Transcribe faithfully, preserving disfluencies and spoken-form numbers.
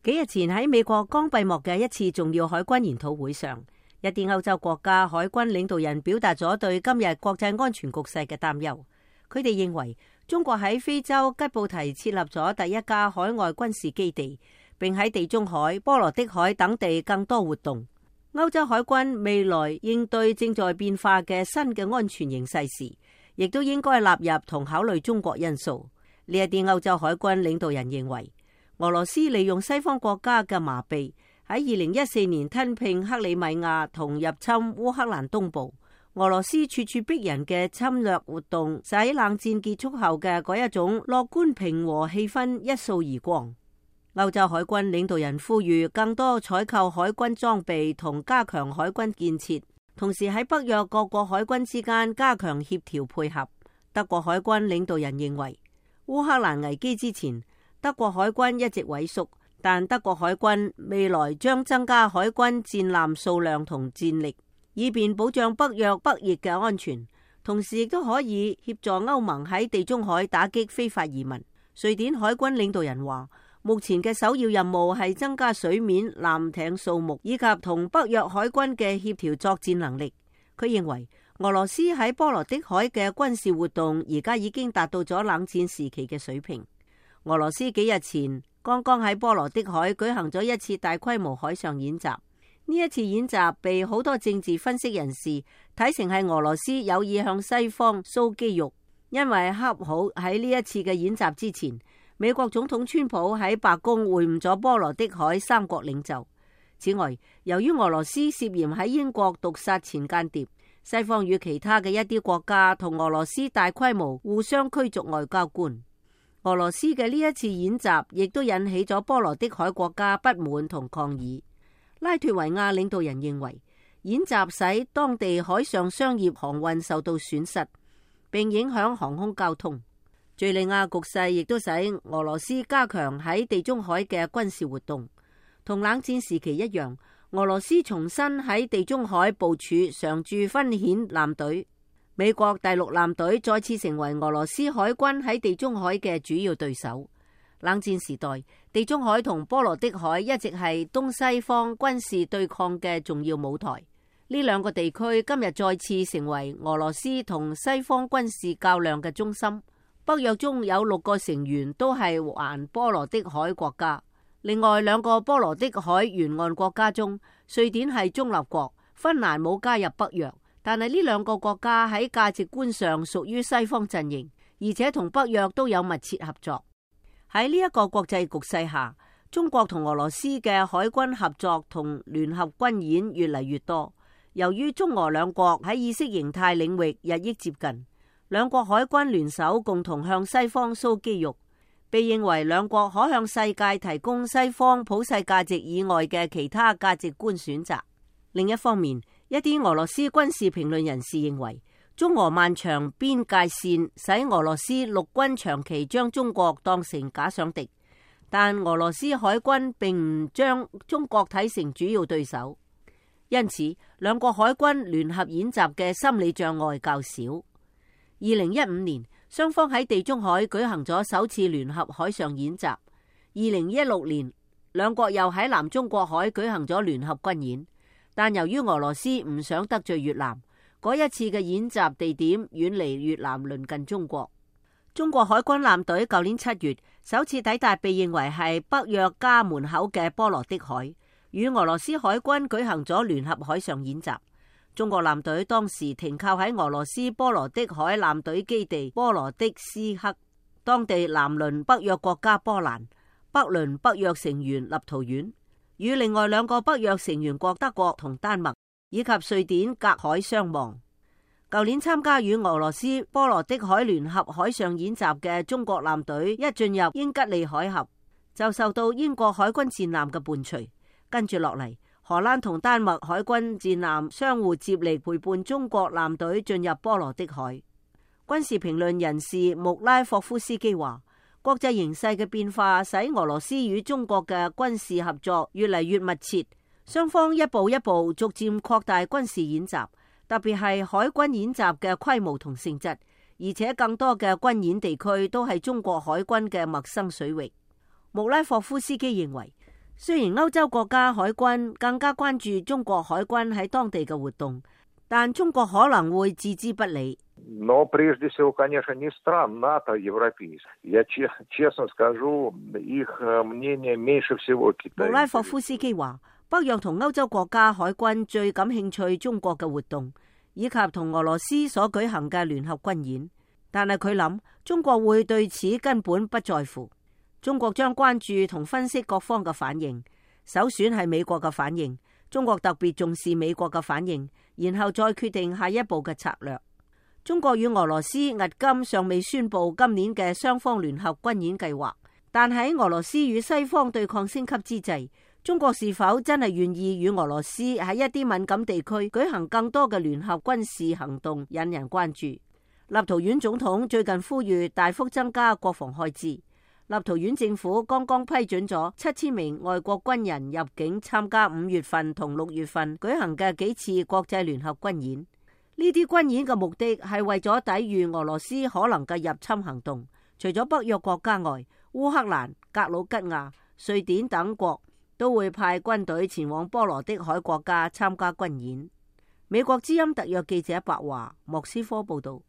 幾日前喺美國剛閉幕嘅一次重要海軍研討會上，一啲歐洲國家海軍領導人表達咗對今日國際安全局勢嘅擔憂。佢哋認為中國喺非洲吉布提設立咗第一家海外軍事基地，並喺地中海、波羅的海等地更多活動。歐洲海軍未來應對正在變化嘅新嘅安全形勢時，亦都應該納入同考慮中國因素。呢一啲歐洲海軍領導人認為，俄羅斯利用西方國家嘅麻痹，喺二零一四年吞併克里米亞同入侵烏克蘭東部。俄羅斯處處逼人嘅侵略活動，使冷戰結束後嘅嗰一種樂觀平和氣氛一掃而光。歐洲海軍領導人呼籲更多採購海軍裝備同加強海軍建設，同時喺北約各國海軍之間加強協調配合。德國海軍領導人認為，烏克蘭危機之前，德國海軍一直萎縮，但德國海軍未來將增加海軍戰艦數量同戰力，以便保障北約北翼嘅安全，同時亦都可以協助歐盟喺地中海打擊非法移民。瑞典海軍領導人話，目前嘅首要任務係增加水面艦艇數目，以及同北約海軍嘅協調作戰能力。佢認為俄羅斯喺波羅的海嘅軍事活動而家已經達到咗冷戰時期嘅水平。俄羅斯幾日前剛剛喺波羅的海舉行咗一次大規模海上演習，呢一次演習被好多政治分析人士睇成係俄羅斯有意向西方 show 肌肉，因為恰好喺呢一次嘅演習之前，美國總統川普喺白宮會晤咗波羅的海三國領袖。此外，由於俄羅斯涉嫌喺英國毒殺前間諜，西方與其他嘅一啲國家同俄羅斯大規模互相驅逐外交官。俄羅斯嘅呢一次演習亦都引起咗波羅的海國家不滿同抗議。拉脫維亞領導人認為，演習使當地海上商業航運受到損失，並影響航空交通。敘利亞局勢亦都使俄羅斯加強喺地中海嘅軍事活動。同冷戰時期一樣，俄羅斯重新喺地中海部署常駐分遣艦隊。美國第六艦隊再次成為俄羅斯海軍喺地中海嘅主要對手。冷戰時代，地中海同波羅的海一直係東西方軍事對抗嘅重要舞台。呢兩個地區今日再次成為俄羅斯同西方軍事較量嘅中心。北約中有六個成員都係環波羅的海國家，另外兩個波羅的海沿岸國家中，瑞典係中立國，芬蘭冇加入北約。但係呢兩個國家喺價值觀上屬於西方陣營，而且同北約都有密切合作。喺呢一個國際局勢下，中國同俄羅斯嘅海軍合作同聯合軍演越嚟越多。由於中俄兩國喺意識形態領域日益接近，兩國海軍聯手共同向西方 show 肌肉，被認為兩國可向世界提供西方普世價值以外嘅其他價值觀選擇。另一方面，一啲俄羅斯軍事評論人士認為，中俄漫長邊界線使俄羅斯陸軍長期將中國當成假想敵，但俄羅斯海軍並唔將中國睇成主要對手，因此兩國海軍聯合演習嘅心理障礙較少。二零一五年，雙方喺地中海舉行咗首次聯合海上演習。二零一六年，兩國又喺南中國海舉行咗聯合軍演。但由於俄羅斯唔想得罪越南，嗰一次嘅演習地點遠離越南，鄰近中國。中國海軍艦隊舊年七月首次抵達被認為係北約家門口嘅波羅的海，與俄羅斯海軍舉行咗聯合海上演習。中國艦隊當時停靠喺俄羅斯波羅的海艦隊基地波羅的斯克，當地南鄰北約國家波蘭，北鄰北約成員立陶宛，與另外兩個北約成員國德國同丹麥以及瑞典隔海相望。舊年參加與俄羅斯波羅的海聯合海上演習嘅中國艦隊一進入英吉利海峽，就受到英國海軍戰艦嘅伴隨。跟住落嚟，荷蘭同丹麥海軍戰艦相互接力陪伴中國艦隊進入波羅的海。軍事評論人士穆拉霍夫斯基話，國際形勢嘅變化使俄羅斯與中國嘅軍事合作越嚟越密切，雙方一步一步逐漸擴大軍事演習，特別係海軍演習嘅規模同性質，而且更多嘅軍演地區都係中國海軍嘅陌生水域。穆拉霍夫斯基認為，雖然歐洲國家海軍更加關注中國海軍喺當地嘅活動，但中國可能會置之不理。Но прежде всего, конечно, не стран НАТО европейских. Я честно скажу, их мнение меньше всего Китая. 穆拉霍夫斯基話，北約同歐洲國家海軍最感興趣中國嘅活動，以及同俄羅斯所舉行嘅聯合軍演。但係佢諗，中國會對此根本不在乎。中國將關注同分析各方嘅反應，首選係美國嘅反應。中國特別重視美國嘅反應，然後再決定下一步嘅策略。中國與俄羅斯迄今尚未宣布今年嘅雙方聯合軍演計劃，但喺俄羅斯與西方對抗升級之際，中國是否真係願意與俄羅斯喺一啲敏感地區舉行更多嘅聯合軍事行動，引人關注。立陶宛總統最近呼籲大幅增加國防開支。立陶宛政府剛剛批准咗七千名外國軍人入境參加五月份同六月份舉行嘅幾次國際聯合軍演。呢啲軍演嘅目的係為咗抵禦俄羅斯可能嘅入侵行動。除咗北約國家外，烏克蘭、格魯吉亞、瑞典等國都會派軍隊前往波羅的海國家參加軍演。美國之音特約記者白華莫斯科報道。